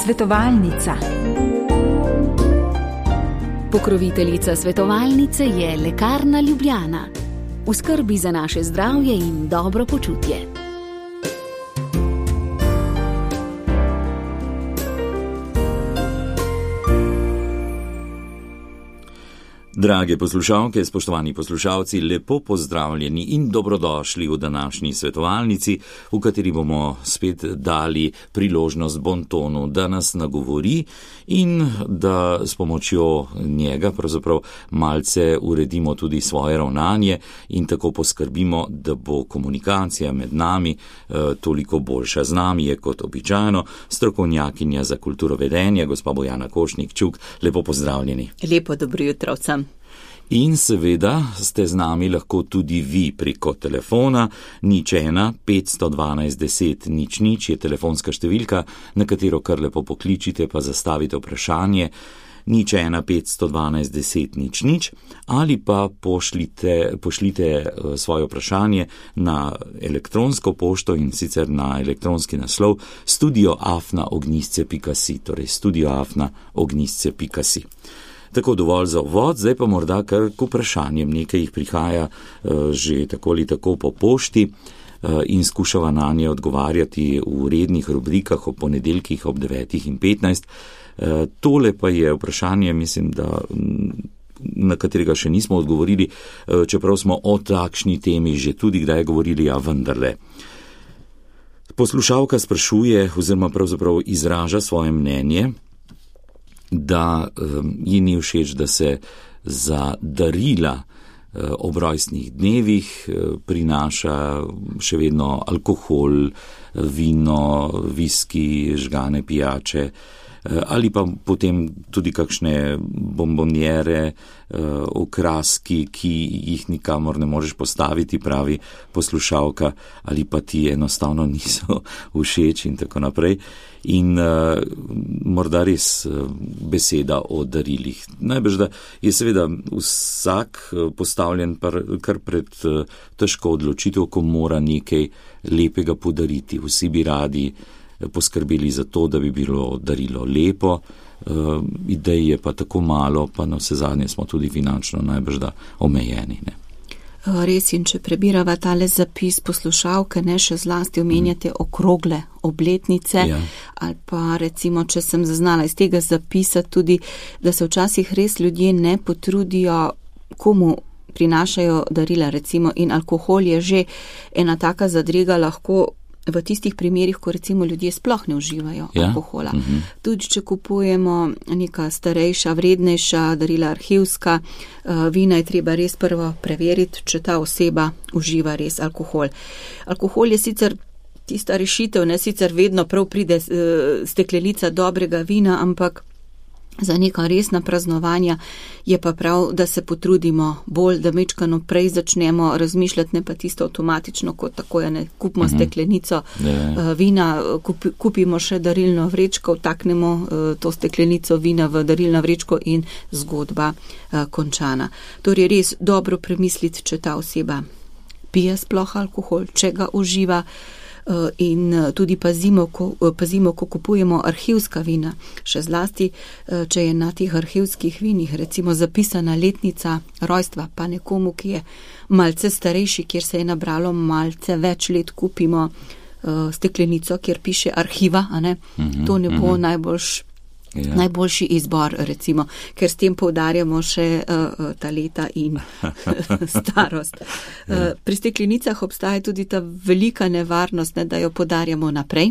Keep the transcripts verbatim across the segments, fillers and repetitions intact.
Svetovalnica. Pokroviteljica svetovalnice je Lekarna Ljubljana. V skrbi za naše zdravje in dobro počutje. Drage poslušalke, spoštovani poslušalci, lepo pozdravljeni in dobrodošli v današnji svetovalnici, v kateri bomo spet dali priložnost Bontonu, da nas nagovori in da s pomočjo njega pravzaprav malce uredimo tudi svoje ravnanje in tako poskrbimo, da bo komunikacija med nami eh, toliko boljša. Z nami je kot običajno strokovnjakinja za kulturo vedenja, gospa Bojana Košnik-Čuk. Lepo pozdravljeni. Lepo dobro jutro vsem. In seveda ste z nami lahko tudi vi preko telefona. Nič ena, petsto dvanajst, deset, nič nič je telefonska številka, na katero kar lepo pokličite pa zastavite vprašanje. Nič ena, petsto dvanajst, deset, nič nič ali pa pošljite, pošljite svoje vprašanje na elektronsko pošto in sicer na elektronski naslov studio afna ognjisce pika si, torej studio afna ognjisce pika si. Tako dovolj za uvod, zdaj pa morda kar k vprašanjem. Nekaj jih prihaja uh, že tako ali tako po pošti uh, in skušava na nje odgovarjati v rednih rubrikah ob ponedeljkih ob devetih in petnajst. Uh, tole pa je vprašanje, mislim, da na katerega še nismo odgovorili, uh, čeprav smo o takšni temi že tudi kdaj govorili, a vendarle. Poslušalka sprašuje oziroma pravzaprav izraža svoje mnenje, da um, ji ni všeč, da se za darila uh, ob rojstnih dnevih uh, prinaša še vedno alkohol, vino, viski, žgane pijače uh, ali pa potem tudi kakšne bombonjere, uh, okraski, ki jih nikamor ne možeš postaviti, pravi poslušalka, ali pa ti enostavno niso všeč in tako naprej. In uh, morda res uh, beseda o darilih. Najbrž, da je seveda vsak uh, postavljen par, kar pred uh, težko odločitev, ko mora nekaj lepega podariti. Vsi bi radi uh, poskrbeli za to, da bi bilo darilo lepo, uh, idej je pa tako malo, pa na vse zadnje smo tudi finančno najbrž da omejeni, ne. Res, in če prebirava tale zapis poslušalke, ne, še zlasti omenjate okrogle obletnice, ja. Ali pa recimo, če sem zaznala iz tega zapisa tudi, da se včasih res ljudje ne potrudijo, komu prinašajo darila, recimo, in alkohol je že ena taka zadrega lahko v tistih primerih, ko recimo ljudje sploh ne uživajo ja. alkohola. Uh-huh. Tudi, če kupujemo neka starejša, vrednejša darila, arhivska uh, vina, je treba res prvo preveriti, če ta oseba uživa res alkohol. Alkohol je sicer tista rešitev, ne, sicer vedno prav pride uh, steklenica dobrega vina, ampak za neka resna praznovanja je pa prav, da se potrudimo bolj, da mečkano prej začnemo razmišljati, ne pa tisto avtomatično, kot tako je, ne, kupimo uh-huh. steklenico uh, vina, kupi, kupimo še darilno vrečko, vtaknemo uh, to steklenico vina v darilno vrečko in zgodba uh, končana. Torej res dobro premisliti, če ta oseba pije sploh alkohol, če ga uživa, in tudi pazimo ko, pazimo, ko kupujemo arhivska vina. Še zlasti, če je na teh arhivskih vinih recimo zapisana letnica rojstva, pa nekomu, ki je malce starejši, kjer se je nabralo malce več let, kupimo steklenico, kjer piše arhiva, a ne? Mm-hmm, to ne bo mm-hmm. najboljš Ja. najboljši izbor, recimo, ker s tem poudarjamo še uh, ta leta in starost. Uh, pri steklenicah obstaja tudi ta velika nevarnost, ne, da jo podarjamo naprej.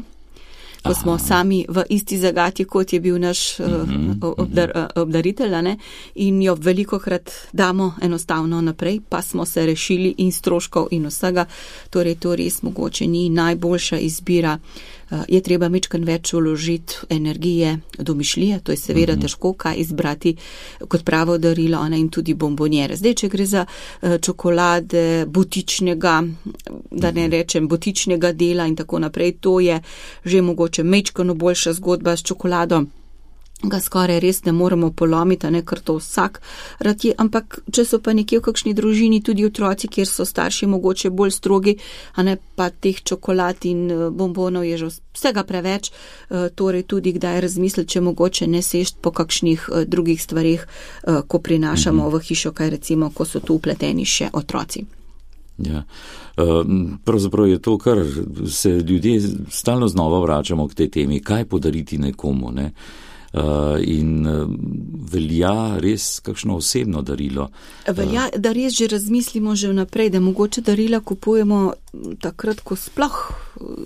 Ko smo Aha. sami v isti zagati, kot je bil naš uh, obdar, obdaritelj, ne, in jo velikokrat damo enostavno naprej, pa smo se rešili in stroškov in vsega. Torej, to res mogoče ni najboljša izbira. Uh, je treba mečkan več vložiti energije, domišljije, to je seveda uh-huh. težko kaj izbrati kot pravo darilo, ne, in tudi bombonjere. Zdaj, če gre za uh, čokolade butičnega, da ne rečem butičnega dela in tako naprej, to je že mogoče mečkano boljša zgodba s čokolado. ga skoraj res ne moremo polomiti, ne, ker to vsak rad je, ampak če so pa nekje v kakšni družini tudi otroci, kjer so starši mogoče bolj strogi, a ne pa teh čokolad in bombonov je že vsega preveč, torej tudi kdaj razmisliti, če mogoče ne sešt po kakšnih drugih stvarih, ko prinašamo v hišo, kaj recimo, ko so tu upleteni še otroci. Ja. Pravzaprav je to, kar se ljudje stalno znova vračamo k tej temi, kaj podariti nekomu, ne? In velja res kakšno osebno darilo. Velja, da res že razmislimo že vnaprej, da mogoče darila kupujemo takrat, ko sploh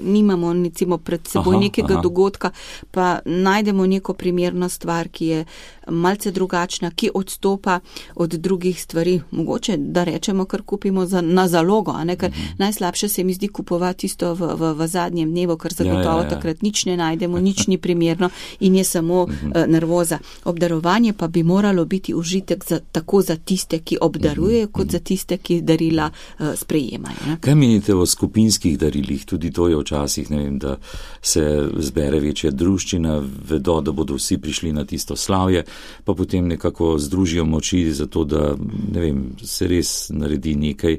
nimamo recimo pred seboj aha, nekega aha. dogodka, pa najdemo neko primerno stvar, ki je malce drugačna, ki odstopa od drugih stvari. Mogoče, da rečemo, kar kupimo za, na zalogo, a ne, ker uh-huh. najslabše se mi zdi kupovati isto v, v, v zadnjem dnevu, ker zagotovo ja, ja, ja. takrat nič ne najdemo, nič ni primerno in je samo uh-huh. uh, nervoza. Obdarovanje pa bi moralo biti užitek za, tako za tiste, ki obdarujejo, uh-huh. kot za tiste, ki darila uh, sprejemajo. Ne? Kaj menite o skupinskih darilih? Tudi to je včasih, ne vem, da se zbere večja druščina, vedo, da bodo vsi prišli na tisto slavje, pa potem nekako združijo moči za to, da ne vem, se res naredi nekaj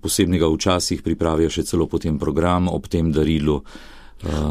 posebnega, včasih pripravijo še celo potem program ob tem darilu.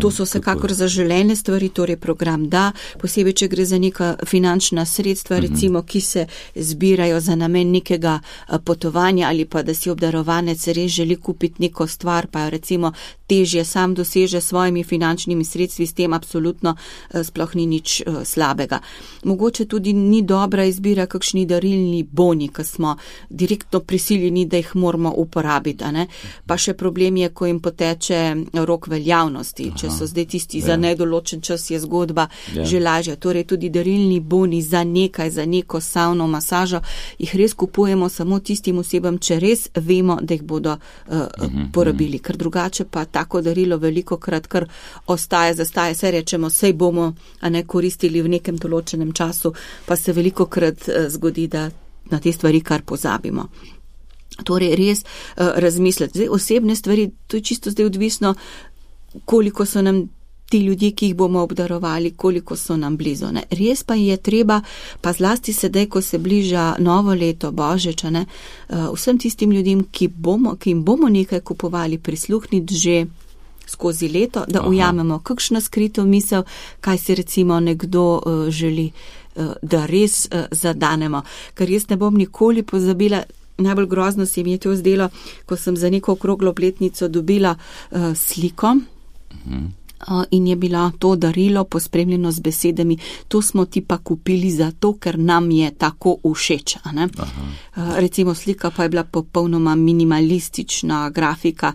To so vsekakor zaželene stvari, torej program da, posebej, če gre za neka finančna sredstva, recimo, ki se zbirajo za namen nekega potovanja ali pa da si obdarovanec res želi kupiti neko stvar, pa jo recimo težje sam doseže s svojimi finančnimi sredstvi, s tem absolutno sploh ni nič slabega. Mogoče tudi ni dobra izbira kakšni darilni boni, ki smo direktno prisiljeni, da jih moramo uporabiti, a ne? Pa še problem je, ko jim poteče rok veljavnosti. Če so zdaj tisti ja. za nedoločen čas, je zgodba ja. že lažja. Torej tudi darilni boni za nekaj, za neko savno, masažo, jih res kupujemo samo tistim osebam, če res vemo, da jih bodo uh, uh-huh, porabili. Ker drugače pa tako darilo veliko krat, kar ostaje, zastaje, se rečemo, sej bomo a ne koristili v nekem določenem času, pa se veliko krat uh, zgodi, da na te stvari kar pozabimo. Torej res uh, razmisliti. Zdaj osebne stvari, to je čisto zdaj odvisno, koliko so nam ti ljudje, ki jih bomo obdarovali, koliko so nam blizu. Ne? Res pa je treba, pa zlasti sedaj, ko se bliža novo leto, Božič, ne, vsem tistim ljudem, ki, bomo, ki jim bomo nekaj kupovali, prisluhniti že skozi leto, da Aha. ujamemo kakšno skrito misel, kaj si recimo nekdo uh, želi, uh, da res uh, zadanemo. Ker jaz ne bom nikoli pozabila, najbolj grozno se mi je to zdelo, ko sem za neko okroglo obletnico dobila uh, sliko, uh-huh. uh, in je bila to darilo pospremljeno z besedami, to smo ti pa kupili zato, ker nam je tako všeč. A ne? Uh, recimo slika pa je bila popolnoma minimalistična grafika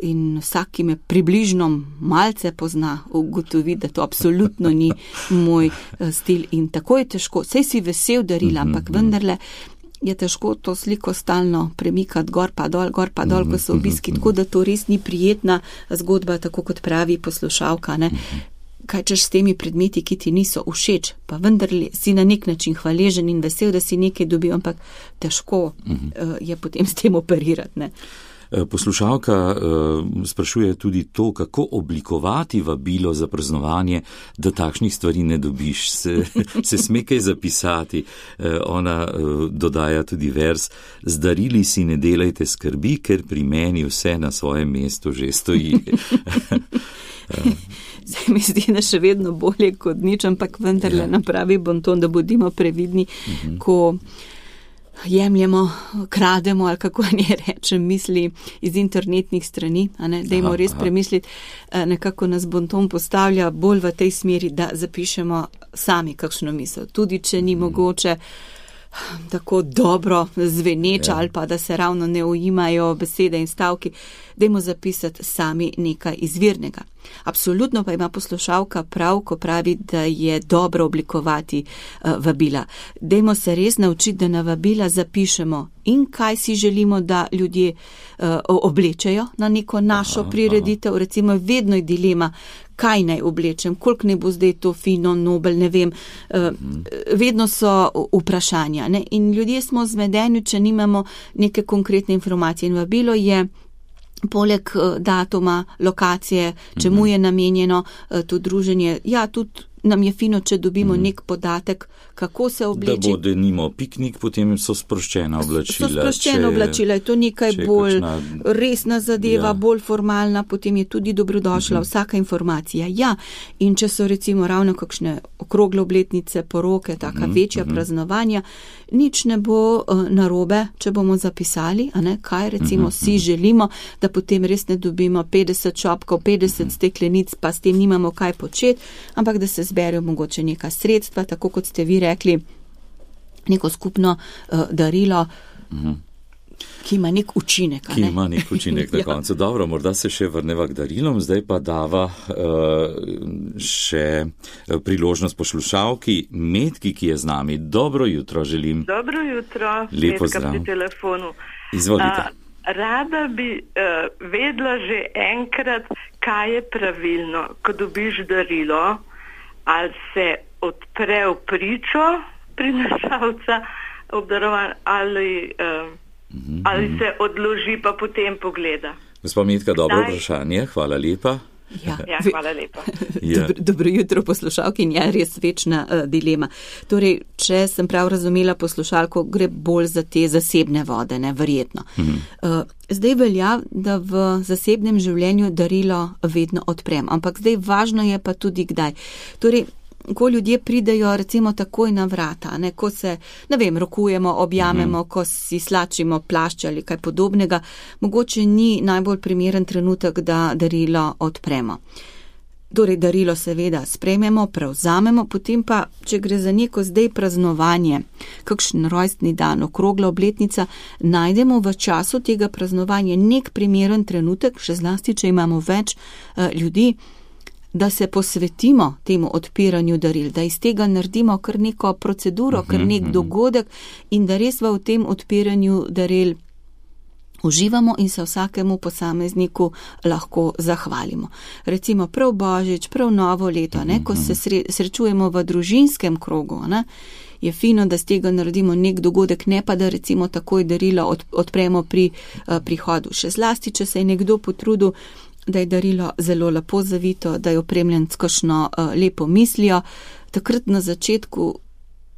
in vsak, ki me približno malce pozna, ugotovi, da to absolutno ni moj uh, stil in tako je težko. Sej si vesel darila, uh-huh. ampak vendarle je težko to sliko stalno premikati gor pa dol, gor pa dol, ko so obiski, tako da to res ni prijetna zgodba, tako kot pravi poslušalka, ne. Kaj češ s temi predmeti, ki ti niso všeč, pa vendar si na nek način hvaležen in vesel, da si nekaj dobil, ampak težko uh, je potem s tem operirati, ne. Poslušalka uh, sprašuje tudi to, kako oblikovati vabilo za praznovanje, da takšnih stvari ne dobiš. Se, se sme kaj zapisati. Uh, ona uh, dodaja tudi vers: z darili si ne delajte skrbi, ker pri meni vse na svojem mestu že stoji. Zdaj mi zdi, da še vedno bolje kot nič, ampak vendarle ja. napravi bonton, da bodimo previdni, uh-huh. ko jemljemo, krademo ali kako ne rečem misli iz internetnih strani, a ne, dajmo aha, res aha. premisliti, nekako nas bonton postavlja bolj v tej smeri, da zapišemo sami kakšno misel, tudi če ni hmm. mogoče tako dobro zveneča ja. ali pa da se ravno ne ujimajo besede in stavki, dajmo zapisati sami nekaj izvirnega. Absolutno pa ima poslušalka prav, ko pravi, da je dobro oblikovati uh, vabila. Dajmo se res naučiti, da na vabila zapišemo in kaj si želimo, da ljudje uh, oblečejo na neko našo aha, prireditev. Aha. Recimo vedno je dilema, kaj naj oblečem, koliko ne bo zdaj to fino, nobel, ne vem. Uh, mhm. Vedno so vprašanja, ne? In ljudje smo zmedeni, če nimamo neke konkretne informacije. In vabilo je poleg datuma, lokacije, čemu je namenjeno to druženje, ja, tudi nam je fino, če dobimo mm. nek podatek, kako se obleči. Da bo denimo piknik, potem so sproščena oblačila. So sproščena oblačila, je to nekaj bolj kakšna, resna zadeva, ja. bolj formalna, potem je tudi dobrodošla mm-hmm. vsaka informacija. Ja, in če so recimo ravno kakšne okrogle obletnice, poroke, taka mm-hmm. večja mm-hmm. praznovanja, nič ne bo uh, narobe, če bomo zapisali, a ne, kaj recimo mm-hmm. si želimo, da potem res ne dobimo petdeset šopkov, petdeset mm-hmm. steklenic, pa s tem nimamo kaj početi, ampak da se zberijo mogoče neka sredstva, tako kot ste vi rekli, neko skupno uh, darilo, mm-hmm. ki ima nek učinek. Ki ne? ima nek učinek na koncu. ja. Dobro, morda se še vrneva k darilom, zdaj pa dava uh, še priložnost poslušalki Metki, ki je z nami. Dobro jutro želim. Dobro jutro, Lepo Metka pri telefonu. Izvolite. Uh, rada bi uh, vedela že enkrat, kaj je pravilno, ko dobiš darilo, ali se odpre v pričo prinašalca obdarovan, ali, uh, mm-hmm. ali se odloži pa potem pogleda. Gospod Metka, dobro Daj. vprašanje, hvala lepa. Ja, ja hvala lepa. ja. Dobro, dobro jutro poslušalki in je res večna uh, dilema. Torej, če sem prav razumela poslušalko, gre bolj za te zasebne vode, ne, verjetno. Mm-hmm. Uh, zdaj velja, da v zasebnem življenju darilo vedno odprem, ampak zdaj važno je pa tudi kdaj. Torej, ko ljudje pridejo recimo takoj na vrata, ne, ko se, ne vem, rokujemo, objamemo, mm-hmm. ko si slačimo plašč ali kaj podobnega, mogoče ni najbolj primeren trenutek, da darilo odpremo. Torej, darilo seveda sprejmemo, prevzamemo, potem pa, če gre za neko zdaj praznovanje, kakšen rojstni dan, okrogla obletnica, najdemo v času tega praznovanja nek primeren trenutek, še zlasti, če imamo več uh, ljudi, da se posvetimo temu odpiranju daril, da iz tega naredimo kar neko proceduro, kar nek dogodek in da res v tem odpiranju daril uživamo in se vsakemu posamezniku lahko zahvalimo. Recimo prav Božič, prav novo leto, ne, ko se sre, srečujemo v družinskem krogu, ne, je fino, da z tega naredimo nek dogodek, ne pa da recimo takoj darilo od, odpremo pri uh, prihodu. Še zlasti, če se je nekdo potrudil, da je darilo zelo lepo zavito, da je opremljen s kakšno uh, lepo mislijo. Takrat na začetku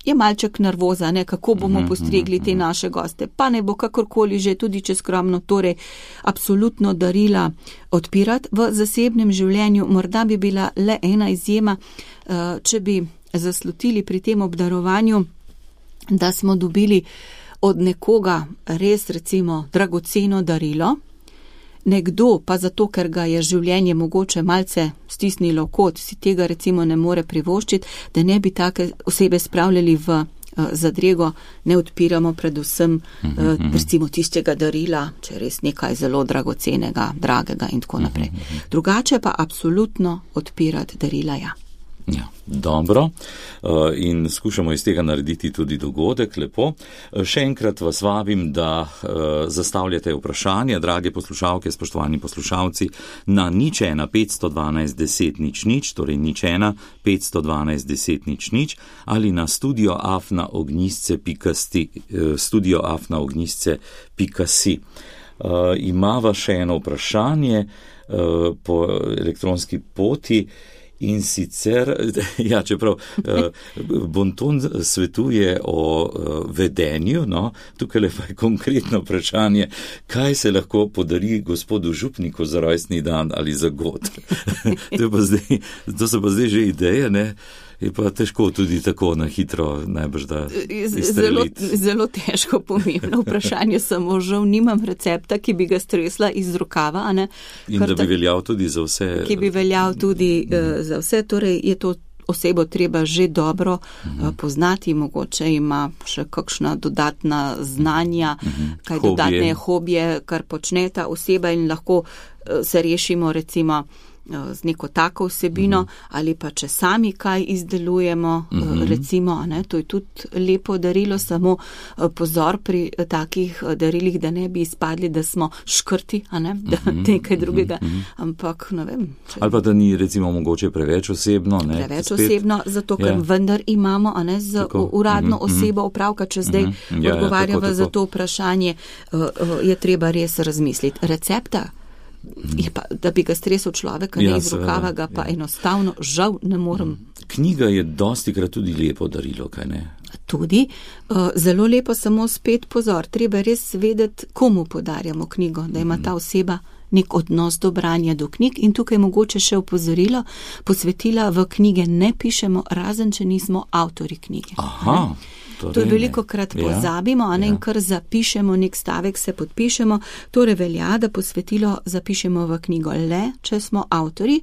je malček nervoza, ne, kako bomo postregli te naše goste. Pa ne bo kakorkoli že, tudi če skromno, torej absolutno darila odpirati. V zasebnem življenju morda bi bila le ena izjema, uh, če bi zaslutili pri tem obdarovanju, da smo dobili od nekoga res recimo dragoceno darilo, nekdo pa zato, ker ga je življenje mogoče malce stisnilo kot, si tega recimo ne more privoščiti, da ne bi take osebe spravljali v uh, zadrego, ne odpiramo predvsem uh, recimo tistega darila, če je res nekaj zelo dragocenega, dragega in tako naprej. Drugače pa absolutno odpirati darila, ja. Ja, dobro. In skušamo iz tega narediti tudi dogodek, lepo. Še enkrat vas vabim, da zastavljate vprašanja, drage poslušalke, spoštovani poslušalci, na nič ena petsto dvanajst deset nič nič, torej nič ena petsto dvanajst deset nič nič, ali na studio afna ognjisce pika si, studio afna ognjisce pika si. Imava še eno vprašanje po elektronski poti. In sicer, ja, čeprav Bonton svetuje o vedenju, no, tukaj le pa je konkretno vprašanje, kaj se lahko podari gospodu župniku za rojstni dan ali za god. to, pa zdaj, to so pa zdaj že ideje, ne? Je pa težko tudi tako na hitro najbrž da izstreliti. Zelo, zelo težko, pomembno vprašanje, samo žal nimam recepta, ki bi ga stresla iz rokava. A ne? In Kar da bi veljal tudi za vse. Ki bi veljal tudi uh, za vse, torej je to osebo treba že dobro uh, poznati, mogoče ima še kakšna dodatna znanja, uh-huh. kaj hobije. Dodatne hobije, kar počne ta oseba in lahko uh, se rešimo recimo z neko tako vsebino, mm-hmm. ali pa če sami kaj izdelujemo, mm-hmm. recimo, ne, to je tudi lepo darilo, samo pozor pri takih darilih, da ne bi izpadli, da smo škrti, a ne, da mm-hmm. nekaj drugega, mm-hmm. ampak ne vem. Če... Ali pa da ni recimo mogoče preveč osebno, ne? Preveč spet... osebno, zato ker ja. vendar imamo, a ne, z tako. uradno mm-hmm. osebo opravka, če zdaj mm-hmm. ja, odgovarjava ja, tako, tako. za to vprašanje, je treba res razmisliti. Recepta? Je pa, da bi ga stresel človek, ne ja, iz rokava, ga pa ja. enostavno žal ne morem knjiga je dostikrat tudi lepo darilo, kaj ne? Tudi. Zelo lepo, samo spet pozor. Treba res vedeti, komu podarjamo knjigo, da ima ta oseba nek odnos do branja do knjig in tukaj mogoče še opozorilo, posvetila v knjige ne pišemo, razen če nismo avtori knjige. Aha. To je veliko krat pozabimo, a ne, in kar zapišemo, nek stavek se podpišemo, torej velja, da posvetilo zapišemo v knjigo le, če smo avtori.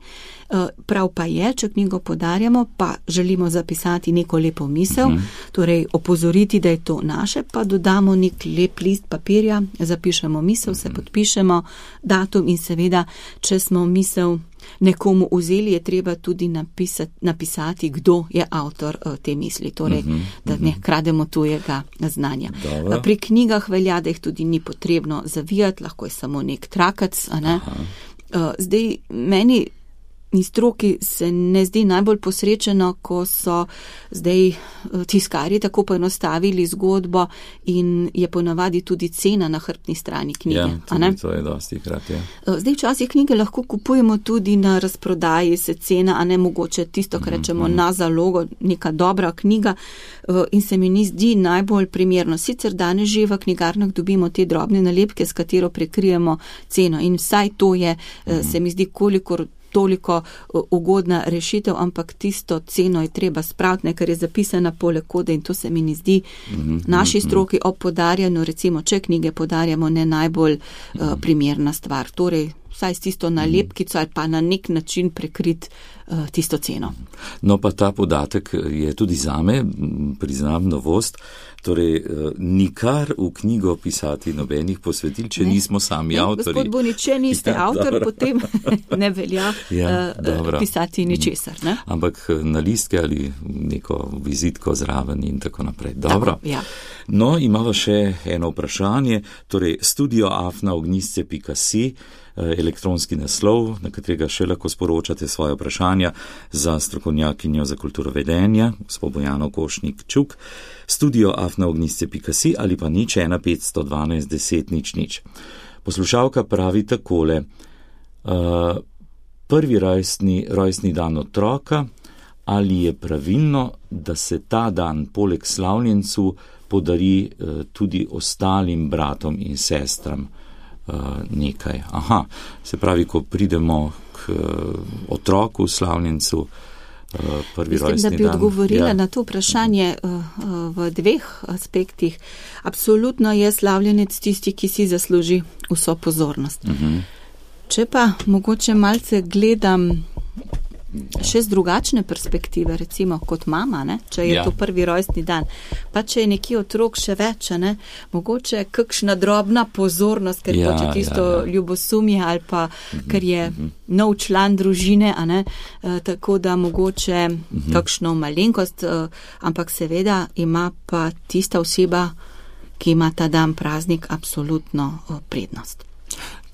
Prav pa je, če knjigo podarjamo, pa želimo zapisati neko lepo misel, uh-huh. torej opozoriti, da je to naše, pa dodamo nek lep list papirja, zapišemo misel, uh-huh. se podpišemo, datum in seveda, če smo misel nekomu vzeli, je treba tudi napisati, napisati kdo je avtor te misli, torej, uh-huh, da ne krademo tujega znanja. Dobro. Pri knjigah velja, da jih tudi ni potrebno zavijati, lahko je samo nek trakac, a ne. Aha. Zdaj, meni in stroki se ne zdi najbolj posrečeno, ko so zdaj tiskarji tako poenostavili zgodbo in je ponavadi tudi cena na hrbtni strani knjige. Ja, tudi to je dosti krat, ja. Zdaj včasih knjige lahko kupujemo tudi na razprodaji, se cena, a ne mogoče tisto, kar rečemo mm-hmm. na zalogo, neka dobra knjiga in se mi ni zdi najbolj primerno. Sicer danes že v knjigarnah dobimo te drobne nalepke, s katero prekrijemo ceno in vsaj to je, mm-hmm. se mi zdi kolikor toliko ugodna rešitev, ampak tisto ceno je treba spraviti, ker je zapisana poleg kode in to se mi ne zdi mm-hmm. naši stroki ob podarjanju, recimo, če knjige podarjamo, ne najbolj mm-hmm. uh, primerna stvar. Torej, vsaj s tisto nalepkico ali pa na nek način prekrit uh, tisto ceno. No pa ta podatek je tudi zame, priznam, novost. Torej, nikar v knjigo pisati nobenih posvetil, če ne. nismo sami ne, avtori. Gospod Bonič, če niste ja, avtor, dobro. Potem ne velja ja, uh, pisati ničesar. Ne? Ampak na listke ali neko vizitko zraven in tako naprej. Dobro. Tako, ja. No, imamo še eno vprašanje. Torej, studio afna ognjišče pika si, elektronski naslov, na katerega še lahko sporočate svoje vprašanja za strokovnjakinjo za kulturo vedenja, gospod Bojano Košnik Čuk, studio afna ognjišče pika si ali pa nič ena petsto dvanajst deset nič nič. Poslušalka pravi takole, uh, prvi rojstni, rojstni dan otroka, ali je pravilno, da se ta dan poleg slavljencu podari uh, tudi ostalim bratom in sestram uh, nekaj. Aha, se pravi, ko pridemo k uh, otroku, slavljencu, uh, prvi Mislim, rojstni dan. Da bi odgovorila ja. na to vprašanje uh, v dveh aspektih. Absolutno je slavljenec tisti, ki si zasluži vso pozornost. Uh-huh. Če pa mogoče malce gledam še z drugačne perspektive, recimo kot mama, ne? Če je ja. to prvi rojstni dan, pa če je nekje otrok še več, ne? Mogoče kakšna drobna pozornost, ker ja, hoče tisto ja, ja. ljubosumje ali pa mm-hmm, ker je mm-hmm. nov član družine, a ne? E, tako da mogoče mm-hmm. kakšno malenkost, e, ampak seveda ima pa tista oseba, ki ima ta dan praznik, absolutno o, prednost.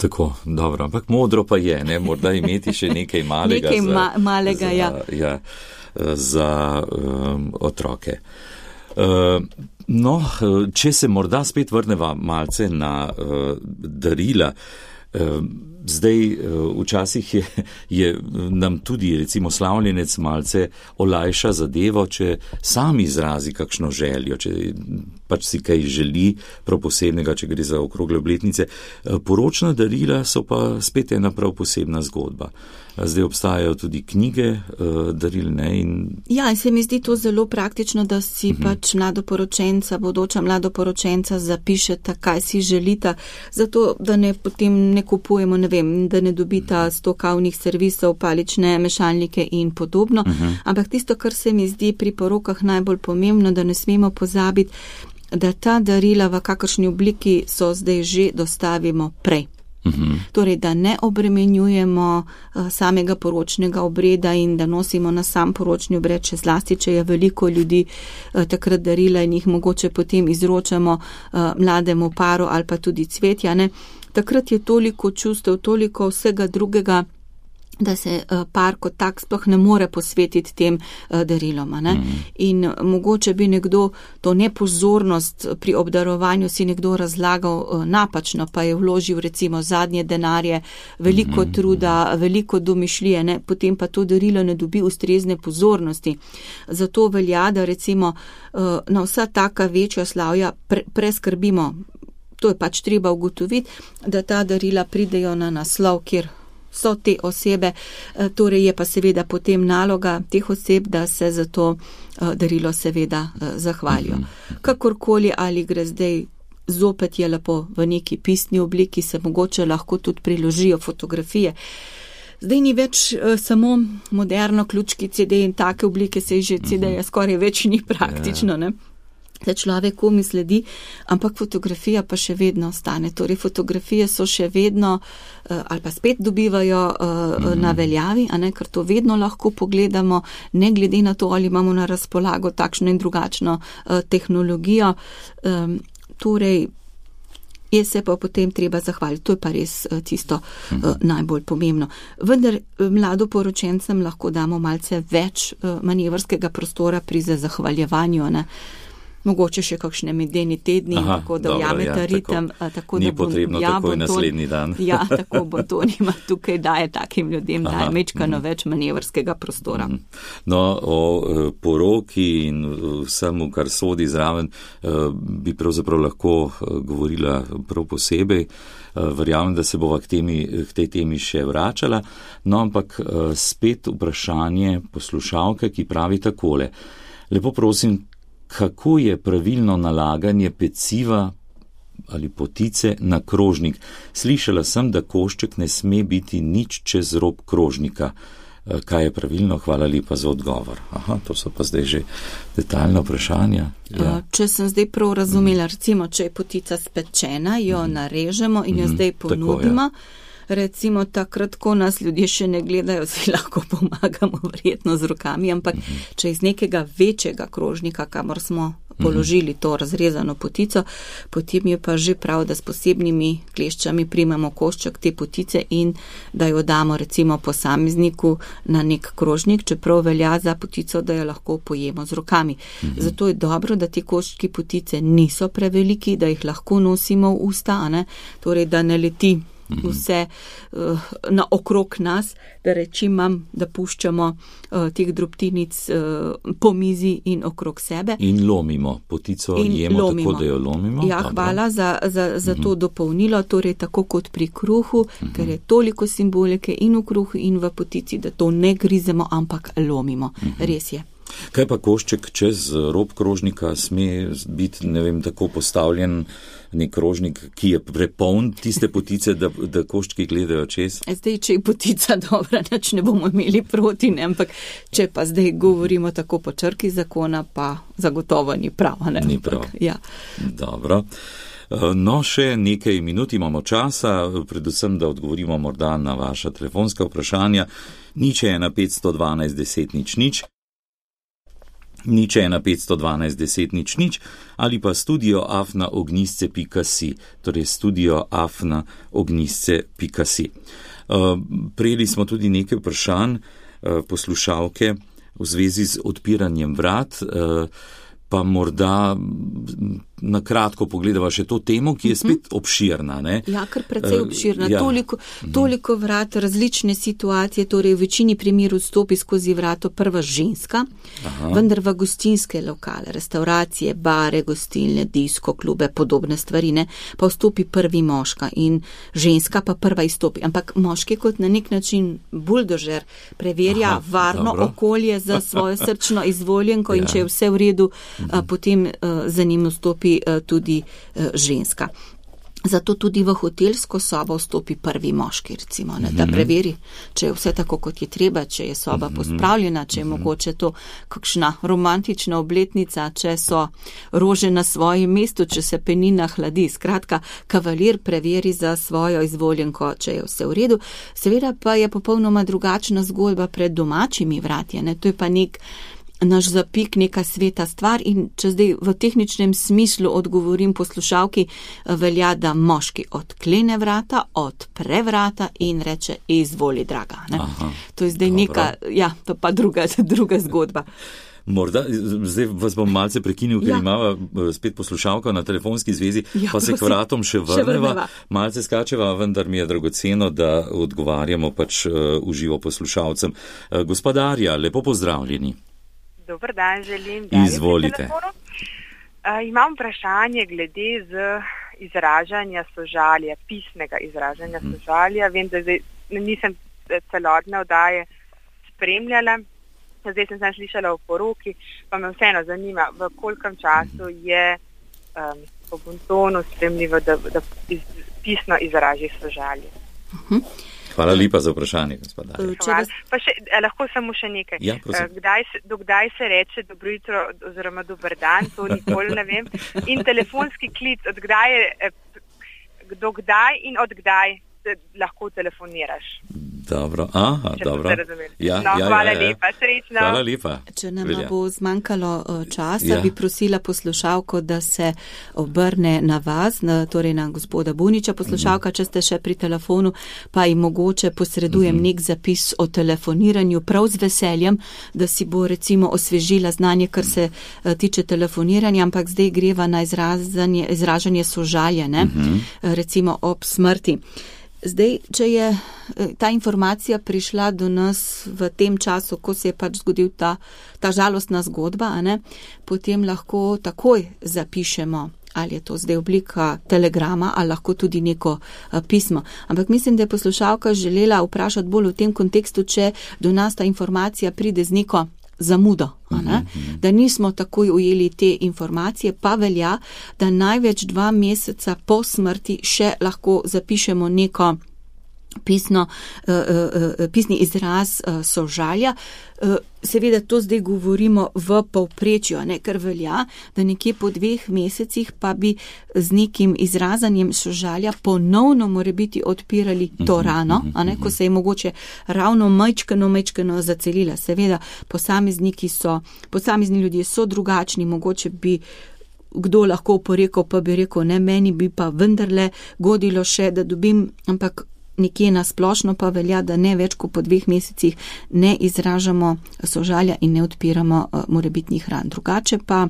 Tako, dobro, ampak modro pa je, ne, morda imeti še nekaj malega, nekaj za, ma, malega za, ja. Ja, za um, otroke. Uh, no, če se morda spet vrneva malce na uh, darila, uh, zdaj uh, včasih je, je nam tudi recimo slavljenec malce olajša zadevo, če sam izrazi kakšno željo, če pač si kaj želi prav posebnega, če gre za okrogle obletnice. Poročna darila so pa spet ena prav posebna zgodba. Zdaj obstajajo tudi knjige daril, ne? In... Ja, in se mi zdi to zelo praktično, da si uh-huh. pač mladoporočenca, bodoča mladoporočenca zapišeta, kaj si želita, zato da ne potem ne kupujemo, ne vem, da ne dobita sto kavnih servisov, palične mešalnike in podobno. Uh-huh. Ampak tisto, kar se mi zdi pri porokah najbolj pomembno, da ne smemo pozabiti, da ta darila v kakršni obliki so zdaj že dostavimo prej. Uh-huh. Torej, da ne obremenjujemo uh, samega poročnega obreda in da nosimo na sam poročni obred, še zlasti, če je veliko ljudi uh, takrat darila in jih mogoče potem izročamo uh, mlademu paru ali pa tudi cvetja, ne. Takrat je toliko čustev, toliko vsega drugega da se par kot tak sploh ne more posvetiti tem darilom. Ne? Mm. In mogoče bi nekdo to nepozornost pri obdarovanju si nekdo razlagal napačno, pa je vložil recimo zadnje denarje, veliko mm. truda, veliko domišljije, ne? Potem pa to darilo ne dobi ustrezne pozornosti. Zato velja, da recimo na vsa taka večja slavja pre, preskrbimo. To je pač treba ugotoviti, da ta darila pridejo na naslov, kjer so te osebe, torej je pa seveda potem naloga teh oseb, da se za to darilo seveda zahvalijo. Kakorkoli ali gre zdaj, zopet je lepo v neki pisni obliki, se mogoče lahko tudi priložijo fotografije. Zdaj ni več samo moderno ključki C D in take oblike, se že C D-ja skoraj več ni praktično, ne? Se človek komi sledi, ampak fotografija pa še vedno ostane. Torej fotografije so še vedno ali pa spet dobivajo mm-hmm. na veljavi, a ne, ker to vedno lahko pogledamo, ne glede na to, ali imamo na razpolago takšno in drugačno tehnologijo. Torej je se pa potem treba zahvaliti. To je pa res tisto mm-hmm. najbolj pomembno. Vendar mladoporočencem lahko damo malce več manevrskega prostora pri zahvaljevanju, ne. Mogoče še kakšne medeni tedni, Aha, tako da vjamete ja, ritem. Tako, ni da bo, potrebno ja, takoj to, naslednji dan. Ja, tako bo to nima tukaj daje takim ljudem, Aha, daje mečkano mm. več manevrskega prostora. Mm. No, o poroki in vsemu, kar sodi zraven, bi pravzaprav lahko govorila prav posebej. Verjamem, da se bova k, temi, k tej temi še vračala. No, ampak spet vprašanje poslušalke, ki pravi takole. Lepo prosim, kako je pravilno nalaganje peciva ali potice na krožnik? Slišala sem, da košček ne sme biti nič čez rob krožnika. Kaj je pravilno? Hvala lepa za odgovor. Aha, to so pa zdaj že detaljna vprašanja. Ja. Če sem zdaj prav razumela, recimo, če je potica spečena, jo mm. narežemo in jo mm. zdaj ponudimo. Tako, ja. Recimo takrat, ko nas ljudje še ne gledajo, si lahko pomagamo verjetno z rokami, ampak mm-hmm. če iz nekega večjega krožnika, kamor smo položili to razrezano potico, potem je pa že prav, da s posebnimi kleščami primemo košček te potice in da jo damo recimo posamezniku na nek krožnik, čeprav velja za potico, da jo lahko pojemo z rokami. Mm-hmm. Zato je dobro, da ti koščki potice niso preveliki, da jih lahko nosimo v usta, a ne? Torej, da ne leti vse uh, na okrog nas, da rečim mam, da puščamo uh, teh drobtinic uh, po mizi in okrog sebe. In lomimo, potico in jemo lomimo. Tako, da jo lomimo. Ja, Dobro. Hvala za, za, za to uh-huh. dopolnilo, torej tako kot pri kruhu, uh-huh. ker je toliko simbolike in v kruhu in v potici, da to ne grizemo, ampak lomimo. Uh-huh. Res je. Kaj pa košček čez rob krožnika sme biti, ne vem, tako postavljen nek krožnik, ki je prepoln tiste potice, da, da koščki gledajo čez? Zdaj, če je potica dobra, nič ne bomo imeli proti, ne, ampak če pa zdaj govorimo tako po črki zakona, pa zagotovo ni prav. Ne, ni prav. Ampak, ja. Dobro. No, še nekaj minut imamo časa, predvsem, da odgovorimo morda na vaša telefonska vprašanja. Nič ena petsto dvanajst deset nič nič. Nič ena petsto dvanajst deset nič nič ali pa studio afna ognjisce pika si, torej studio afna ognjisce pika si. Uh, prejeli smo tudi nekaj vprašanj uh, poslušalke v zvezi z odpiranjem vrat, uh, pa morda na kratko pogledava še to temo, ki je spet obširna. Ne? Ja, kar precej obširna. Ja. Toliko, toliko vrat, različne situacije, torej v večini primerov vstopi skozi vrato prva ženska, Aha. vendar v gostinske lokale, restauracije, bare, gostilne, disko, klube, podobne stvari, ne, pa vstopi prvi moška in ženska pa prva izstopi. Ampak moški kot na nek način buldožer preverja Aha, varno dobro. okolje za svojo srčno izvoljenko ja. in če je vse v redu, a, potem a, za njim vstopi tudi ženska. Zato tudi v hotelsko sobo vstopi prvi moški, recimo, ne, da preveri, če je vse tako, kot je treba, če je soba pospravljena, če je mogoče to kakšna romantična obletnica, če so rože na svojem mestu, če se penina hladi. Skratka, kavalir preveri za svojo izvoljenko, če je vse v redu. Seveda pa je popolnoma drugačna zgodba pred domačimi vratje, ne, to je pa nek naš zapik neka sveta stvar in če zdaj v tehničnem smislu odgovorim poslušalki, velja, da moški odklene vrata, odpre vrata in reče, izvoli, draga. Ne? To je zdaj dobro. Neka, ja, to pa druga, druga zgodba. Morda, zdaj vas bom malce prekinil, ker ja. imava spet poslušalka na telefonski zvezi, ja, pa se k vratom še vrneva, še vrneva. Malce skačeva, vendar mi je dragoceno, da odgovarjamo pač uh, uživo poslušalcem. Uh, Gospodarja, lepo pozdravljeni. Dobar dan, želim. Izvolite. Uh, imam vprašanje glede z izražanja sožalja, pisnega izražanja hmm. sožalja. Vem, da zdaj nisem celotne oddaje spremljala. Zdaj sem sem slišala o poroki, pa me vseeno zanima, v kolikem času je um, po bontonu spremljivo, da, da iz, pisno izraži sožalje. Uh-huh. Hvala lepa za vprašanje, gospodar. Pa še, lahko samo še nekaj. Ja, kdaj se, dokdaj se reče dobro jutro oziroma dober dan, to nikoli ne vem. In telefonski klic, od kdaj je, do kdaj in od kdaj lahko telefoniraš. Dobro, aha, če dobro. Ja, no, ja, hvala ja, ja. lepa, srečno. Hvala lepa. Če nam Velja. bo zmanjkalo časa, ja. bi prosila poslušalko, da se obrne na vas, na, torej na gospoda Buniča. Poslušalka, mm-hmm. če ste še pri telefonu, pa jim mogoče posredujem mm-hmm. nek zapis o telefoniranju prav z veseljem, da si bo recimo osvežila znanje, kar se uh, tiče telefoniranja, ampak zdaj greva na izražanje sožalja, ne? Mm-hmm. recimo ob smrti. Zdaj, če je ta informacija prišla do nas v tem času, ko se je pač zgodil ta, ta žalostna zgodba, a ne, potem lahko takoj zapišemo, ali je to zdaj oblika telegrama, ali lahko tudi neko a, pismo. Ampak mislim, da je poslušalka želela vprašati bolj v tem kontekstu, če do nas ta informacija pride z neko zamudo, a ne? Da nismo takoj ujeli te informacije, pa velja, da največ dva meseca po smrti še lahko zapišemo neko pisno, uh, uh, pisni izraz uh, sožalja. Uh, seveda to zdaj govorimo v povprečju, ne, ker velja, da nekje po dveh mesecih pa bi z nekim izrazanjem sožalja ponovno more biti odpirali to rano, a ne, ko se je mogoče ravno majčkeno, majčkeno zacelila. Seveda, posamezniki so, posamezni ljudje so drugačni, mogoče bi kdo lahko porekel, pa bi rekel, ne, meni bi pa vendarle godilo še, da dobim, ampak nekje na splošno pa velja, da ne več kot po dveh mesecih ne izražamo sožalja in ne odpiramo uh, morebitnih ran. Drugače pa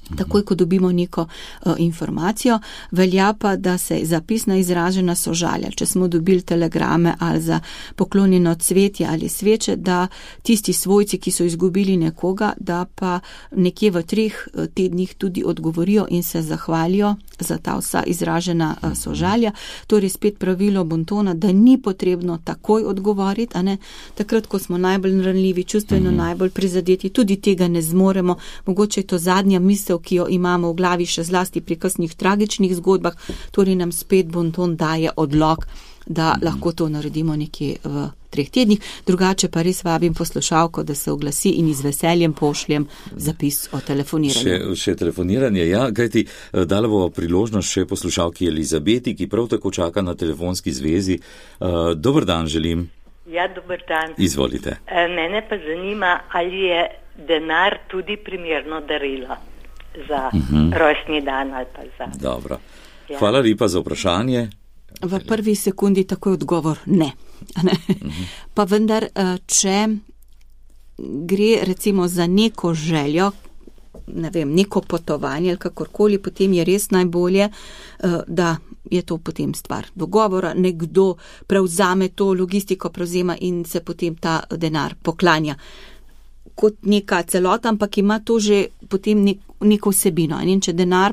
takoj, ko dobimo neko uh, informacijo, velja pa, da se zapisna izražena sožalja, če smo dobili telegrame ali za poklonjeno cvetje ali sveče, da tisti svojci, ki so izgubili nekoga, da pa nekje v treh tednih tudi odgovorijo in se zahvalijo za ta vsa izražena uh, sožalja. Torej spet pravilo bontona, da ni potrebno takoj odgovoriti, a ne, takrat, ko smo najbolj ranljivi, čustveno mm-hmm. najbolj prizadeti, tudi tega ne zmoremo. Mogoče je to zadnja misel, ki jo imamo v glavi še zlasti pri kasnih tragičnih zgodbah, torej nam spet bonton daje odlog, da mm-hmm. lahko to naredimo nekje v treh tednih. Drugače pa res vabim poslušalko, da se oglasi in z veseljem pošljem zapis o telefoniranju. Še, še telefoniranje, ja, kajti dala bo priložnost še poslušalki Elizabeti, ki prav tako čaka na telefonski zvezi. Uh, dober dan želim. Ja, dober dan. Izvolite. E, mene pa zanima, ali je denar tudi primerno darilo za uh-huh. rojstni dan ali pa za... Dobro. Ja. Hvala lepa za vprašanje. V prvi sekundi takoj odgovor ne. ne? Uh-huh. Pa vendar, če gre recimo za neko željo, ne vem, neko potovanje ali kakorkoli, potem je res najbolje, da je to potem stvar dogovora, nekdo prevzame to logistiko, prevzema in se potem ta denar poklanja kot neka celota, ampak ima to že potem nek, neko vsebino. In če denar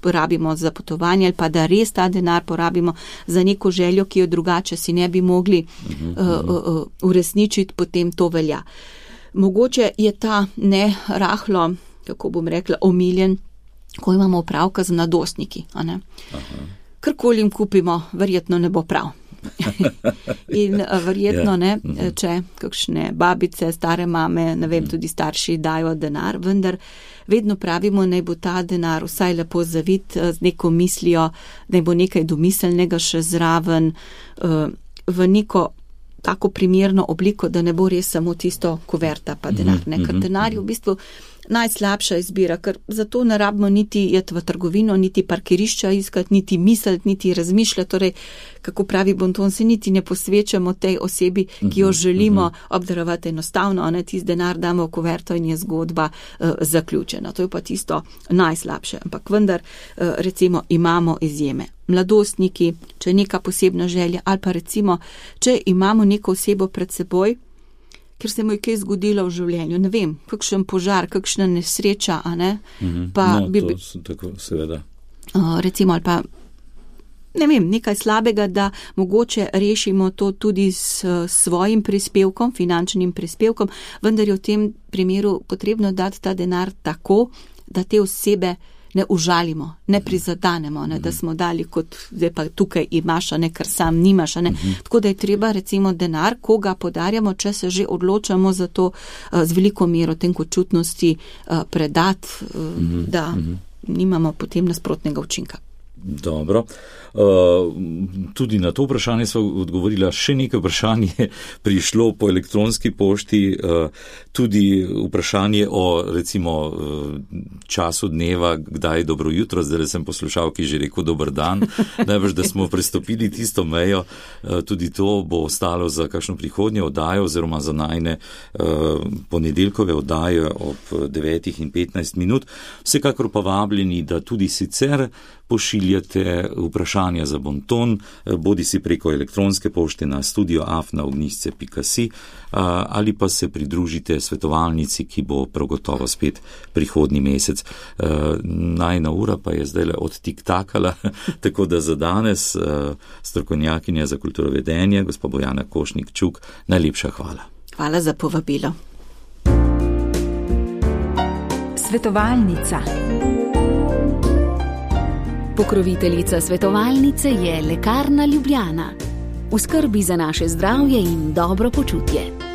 porabimo za potovanje ali pa da res ta denar porabimo za neko željo, ki jo drugače si ne bi mogli uh, uh, uh, uresničiti, potem to velja. Mogoče je ta ne rahlo, kako bom rekla, omiljen, ko imamo opravka z mladostniki. A ne? Karkoli jim kupimo, verjetno ne bo prav. In verjetno ne, če kakšne babice, stare mame, ne vem, tudi starši dajo denar, vendar vedno pravimo, naj bo ta denar vsaj lepo zavit z neko mislijo, naj bo nekaj domiselnega še zraven, v neko tako primerno obliko, da ne bo res samo tisto kuverta pa denar, ne, ker denar je v bistvu najslabša izbira, ker zato ne rabimo niti jeti v trgovino, niti parkirišča iskati, niti misliti, niti razmišljati, torej, kako pravi Bonton, se niti ne posvečamo tej osebi, ki jo želimo obdarovati enostavno, ne, tisti denar damo v kuverto in je zgodba uh, zaključena. To je pa tisto najslabše, ampak vendar uh, recimo imamo izjeme. Mladostniki, če je neka posebna želja, ali pa recimo, če imamo neko osebo pred seboj, ker se mu je kaj zgodilo v življenju, ne vem, kakšen požar, kakšna nesreča, a ne, mm-hmm. pa no, bi, to tako, seveda. Uh, recimo, ali pa, ne vem, nekaj slabega, da mogoče rešimo to tudi s svojim prispevkom, finančnim prispevkom, vendar je v tem primeru potrebno dati ta denar tako, da te osebe ne užalimo, ne prizadanemo, ne, da smo dali kot, zdaj pa tukaj imaš, ne, ker sam nimaš, ne. Tako da je treba recimo denar, ko ga podarjamo, če se že odločamo za to z veliko mero tenkočutnosti predati, da nimamo potem nasprotnega učinka. Dobro. Uh, tudi na to vprašanje smo odgovorila. Še nekaj vprašanje prišlo po elektronski pošti, uh, tudi vprašanje o recimo uh, času dneva, kdaj je dobro jutro, zdaj sem poslušal, ki že rekel dober dan, največ, da smo prestopili tisto mejo, uh, tudi to bo ostalo za kakšno prihodnje oddajo oziroma za najne uh, ponedeljkove oddaje ob devetih in petnajst minut. Vsekakor pa vabljeni, da tudi sicer pošiljate vprašanja za Bonton, bodi si preko elektronske pošte na studio afna ognjišče pika si ali pa se pridružite svetovalnici, ki bo prav gotovo spet prihodnji mesec. Najna ura pa je zdaj odtiktakala, tako da za danes strokovnjakinja za kulturovedenje, gospa Bojana Košnik-Čuk, najlepša hvala. Hvala za povabilo. Svetovalnica. Pokroviteljica svetovalnice je Lekarna Ljubljana. V skrbi za naše zdravje in dobro počutje.